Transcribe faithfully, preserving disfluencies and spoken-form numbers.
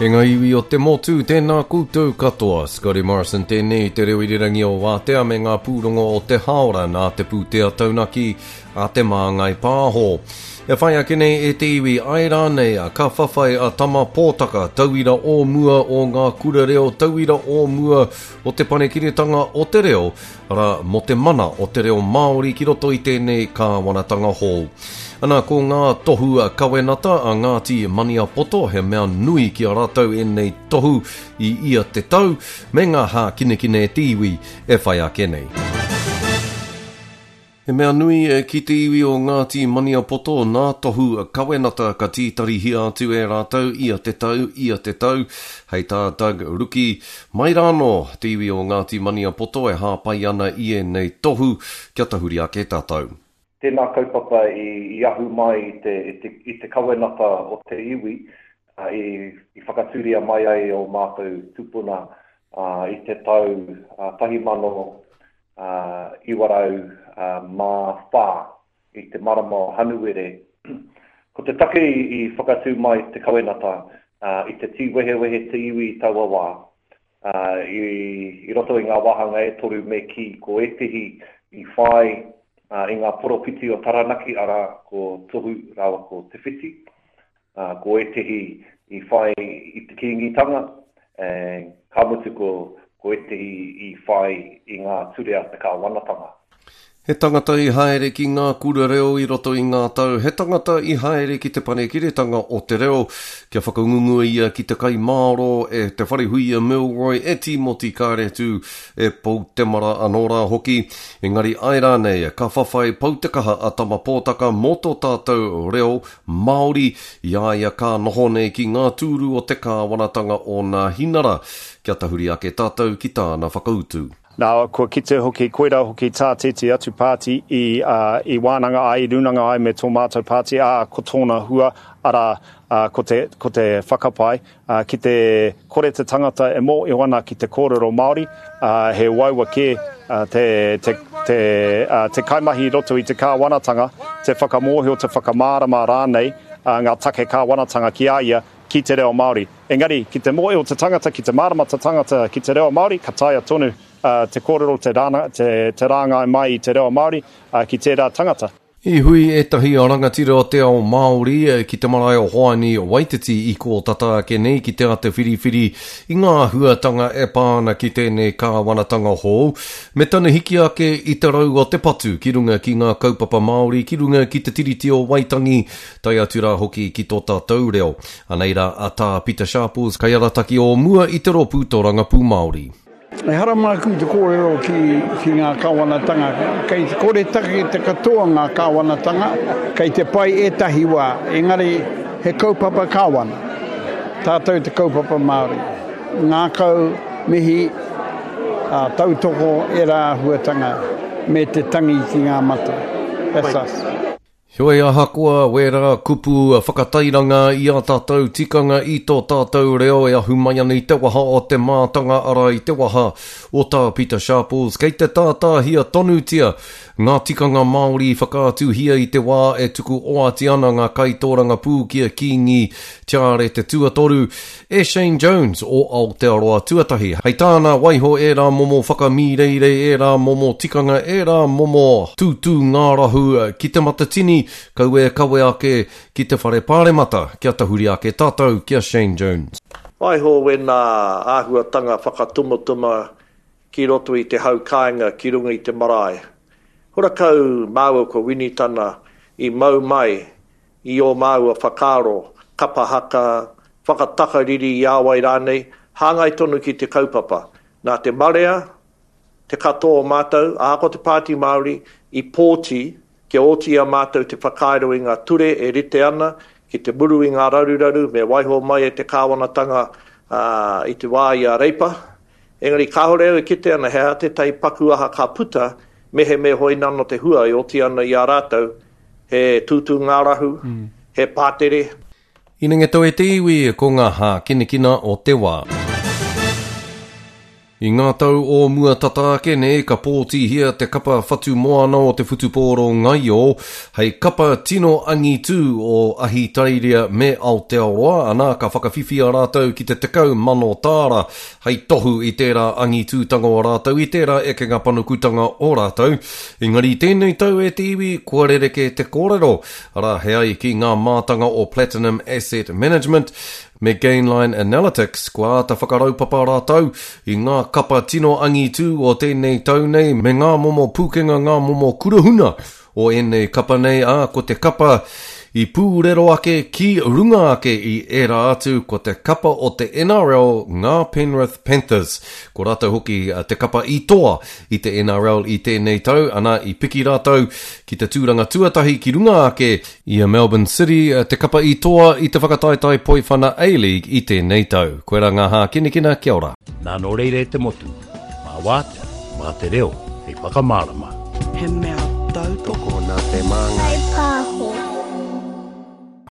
E ngā iwi o te motu, tēnā koutou katoa. Scotty Morrison tēnei, te reo irirangi o Wātea me ngā pūrongo o te haora nā te pūtea taunaki a Te Māngai Pāho. E whai ake nei e te iwi, ai rānei ka whawhai a Tama Pōtaka, tauira o mua o ngā kura reo, tauira o mua o te panekiretanga o te reo, arā, mō te mana o te reo Māori ki roto i tēnei kāwanatanga hou. Ana, ko ngā tohu kawenata a Ngāti Maniapoto, he mea nui ki a rātou ēnei tohu i ia te tau, me ngā hākinakina e te iwi e whai ake nei. He mea nui ki te iwi o Ngāti Maniapoto nā tohu kawenata ka tītarihia atu e rātou ia te tau, ia te tau. Hei tā Doug Ruki, mai rānō te iwi o Ngāti Maniapoto e hāpai ana i ēnei tohu kia tahuri ake tātou. Tēnā kaupapa i, i ahu mai i te, i te, i te kawenata o te iwi, uh, i, i whakatūria mai ai o mātou tupuna uh, i te tau uh, tahi mano uh, iwa rau uh, mā whā i te marama o Hanuere. Ko te take i, i whakatū mai te kawenata uh, i te tīwehewehe te iwi i taua wā, uh, i, i roto i ngā wāhanga e toru me ki ko ētehi i whai uh, i ngā poropiti o Taranaki, arā ko Tohu rāua ko Te Whiti, uh, ko ētehi i whai i te Kīngitanga, eh, ka mutu ko, ko ētehi i whai i ngā ture a te kāwanatanga. He tangata i haere ki ngā kura reo i roto i ngā tau, he tangata i haere ki te panekiretanga o te reo, kia whakangungua ia ki te kaimāro e Te Wharehuia Milroy, e Tīmoti Kāretu, e Pou Temara anō rā hoki. Engari ai rānei, ka whawhai pau te kaha a Tama Pōtaka mō tō tātou reo Māori, i a ia ka noho nei ki ngā tūru o te kāwanatanga o nā hinara. Kia tahuri ake tātou ki tāna whakautu. Nā, kua kite hoki, koirā hoki tā tētehi atu pāti i, uh, i wānanga ai, i rūnanga ai me tō mātou pāti, ā, ko tōna hua, arā, uh, ko te, ko te whakapae, uh, ki te kore te tangata e mōhio ana ki te kōrero Māori, uh, he uaua kē uh, te, te, te, uh, te kaimahi i roto i te kāwanatanga, te whakamōhio, te whakamārama rānei, uh, ngā take kāwanatanga ki a ia, ki te reo Māori. Engari, ki te mōhio te tangata, ki te mārama te tangata ki te reo Māori, ka taea tonu uh, te kōrero, te, rāna, te, te rāngai mai i te reo Māori uh, ki tērā tangata. I hui ētahi rangatira o te ao Māori ki te marae o Hoani Waititi i kō tata ake nei ki te āta whiriwhiri i ngā āhuatanga e pā ana ki tēnei kāwanatanga hou, me tana hiki ake i te rau o te patu ki runga ki ngā kaupapa Māori, ki runga ki te Tiriti o Waitangi, tae atu rā hoki ki tō tātou reo. Anei rā a Tā Pita Sharples, kaiarataki o mua i te rōpū Tōrangapū Māori. Ehara māku te kōrero ki, ki ngā kāwanatanga. Kei te kore take te katoa ngā kāwanatanga, kei te pai ētahi wā, engari he kaupapa kāwana. Tātou te kaupapa Māori. Ngākau, mihi, uh, tautoko e rā āhuatanga me te tangi ki ngā mata. That's us. Heoi ahakoa wērā kupu whakatairanga i ā tātou tikanga i tō tātou reo e ahu mai ana i te waha o te mātanga arā i te waha o tā Pita Sharples, kei te tātāhia tonutia ngā tikanga Māori i whakaatuhia i te wā e tuku oati ana ngā kaitōrangapū ki a Kīngi Tiare te Tuatoru e Shane Jones o Aotearoa Tuatahi. Hei tāna waiho ērā momo whakamīreirei, ērā momo tikanga, ērā momo tūtū ngārahu ki te matatini, kaua e kawe ake ki te whare pāremata, kia tahuri ake tātou ki a Shane Jones. Waiho wēnā āhuatanga whakatumatuma ki roto i te hau kāinga ki runga i te marae. Horakau māua ko Winitana i mau mai i ō māua whakaaro, kapa haka, whakatakariri i a wai rānei, hāngai tonu ki te kaupapa. Nā te marea, te katoa o mātou, ahakoa te Pāti Māori, i pōti kia oti i a mātou te whakairo i ngā ture e rite ana ki te muru i ngā raruraru me waiho mai e te kāwanatanga uh, i te wā i a Reipa. Engari kāore au e kite ana he aha tētahi paku aha ka puta, mehe me hoi nano te hua e oti ana i a rātou, he tūtū ngārahu, mm. he pātere. Inengeto e te iwi, ko ngā hākinakina o te wā. I ngā tau o mua tata ake nei, ka pōtihia te kapa whatumoana o te whutupōro ngaio hei kapa tino angitū o Ahitereiria me Aotearoa, ana ka whakawhiwhia rātou ki te tekau mano tāra hei tohu i tērā angitūtanga o rātou, i tērā ekenga panukutanga o rātou. Engari i tēnei tau e te iwi, kua rerekē te kōrero, arā he ai ki ngā mātanga o Platinum Asset Management me Gainline Analytics, kua āta whakaraupapa rātou i ngā kapa tino angitū o tēnei tau nei me ngā momo pūkenga, ngā momo kurahuna o ēnei kapa nei, ā, ko te kapa i pūrero ake ki runga ake i ērā atu, ko te kapa o te N R L, ngā Penrith Panthers. Ko rātou hoki te kapa i toa i te N R L i tēnei tau, ana i piki rātou ki te tūranga tuatahi ki runga ake i a Melbourne City, te kapa i toa i te whakataetae Poiwhana A-League i tēnei tau. Koera ngā hākinakina, kia ora. Nā nō reira e te motu, mā wātea, mā te reo, hei whakamārama. He mea tautoko nā te māngai.